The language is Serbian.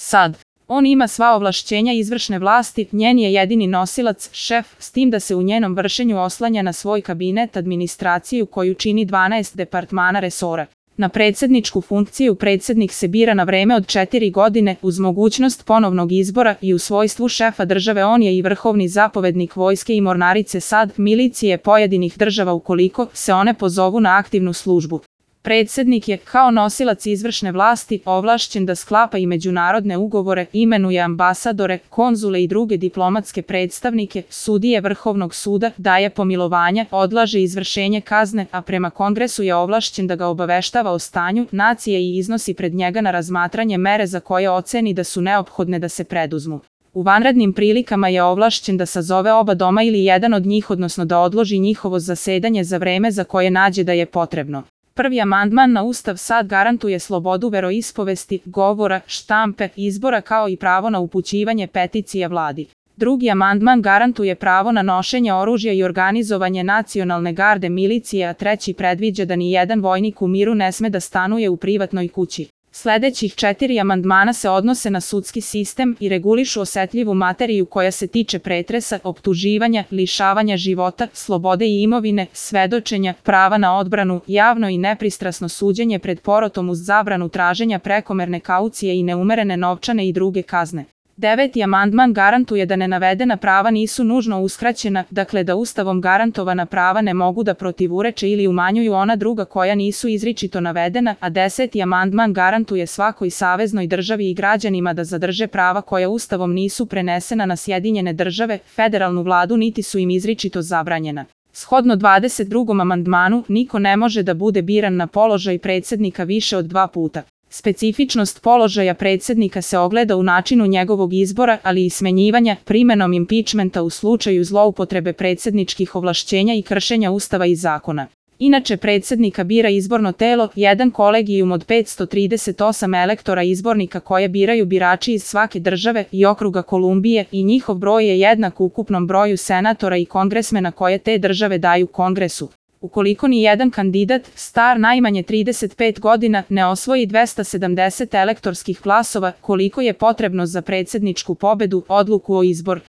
Sad. On ima sva ovlašćenja izvršne vlasti, njen je jedini nosilac, šef, s tim da se u njenom vršenju oslanja na svoj kabinet, administraciju koju čini 12 departmana resora. Na predsjedničku funkciju predsjednik se bira na vreme od 4 godine uz mogućnost ponovnog izbora i u svojstvu šefa države on je i vrhovni zapovednik vojske i mornarice SAD, milicije pojedinih država ukoliko se one pozovu na aktivnu službu. Predsjednik je, kao nosilac izvršne vlasti, ovlašćen da sklapa i međunarodne ugovore, imenuje ambasadore, konzule i druge diplomatske predstavnike, sudije Vrhovnog suda, daje pomilovanja, odlaže izvršenje kazne, a prema Kongresu je ovlašćen da ga obaveštava o stanju nacije i iznosi pred njega na razmatranje mere za koje oceni da su neophodne da se preduzmu. U vanrednim prilikama je ovlašćen da sazove oba doma ili jedan od njih, odnosno da odloži njihovo zasedanje za vreme za koje nađe da je potrebno. Prvi amandman na Ustav SAD garantuje slobodu veroispovesti, govora, štampe, izbora kao i pravo na upućivanje peticija vladi. Drugi amandman garantuje pravo na nošenje oružja i organizovanje nacionalne garde milicije, a treći predviđa da ni jedan vojnik u miru ne sme da stanuje u privatnoj kući. Sljedećih 4 amandmana se odnose na sudski sistem i regulišu osetljivu materiju koja se tiče pretresa, optuživanja, lišavanja života, slobode i imovine, svedočenja, prava na odbranu, javno i nepristrasno suđenje pred porotom uz zabranu traženja prekomerne kaucije i neumerene novčane i druge kazne. 9. amandman garantuje da nenavedena prava nisu nužno uskraćena, dakle da Ustavom garantovana prava ne mogu da protivureče ili umanjuju ona druga koja nisu izričito navedena, a 10. amandman garantuje svakoj saveznoj državi i građanima da zadrže prava koja Ustavom nisu prenesena na Sjedinjene države, federalnu vladu niti su im izričito zabranjena. Shodno 22. amandmanu, niko ne može da bude biran na položaj predsjednika više od 2 puta. Specifičnost položaja predsjednika se ogleda u načinu njegovog izbora, ali i smenjivanja, primenom impičmenta u slučaju zloupotrebe predsjedničkih ovlašćenja i kršenja Ustava i zakona. Inače predsjednika bira izborno telo, jedan kolegijum od 538 elektora izbornika koje biraju birači iz svake države i okruga Kolumbije i njihov broj je jednak ukupnom broju senatora i kongresmena koje te države daju Kongresu. Ukoliko ni jedan kandidat, star najmanje 35 godina, ne osvoji 270 elektorskih glasova, koliko je potrebno za predsjedničku pobedu, odluku o izboru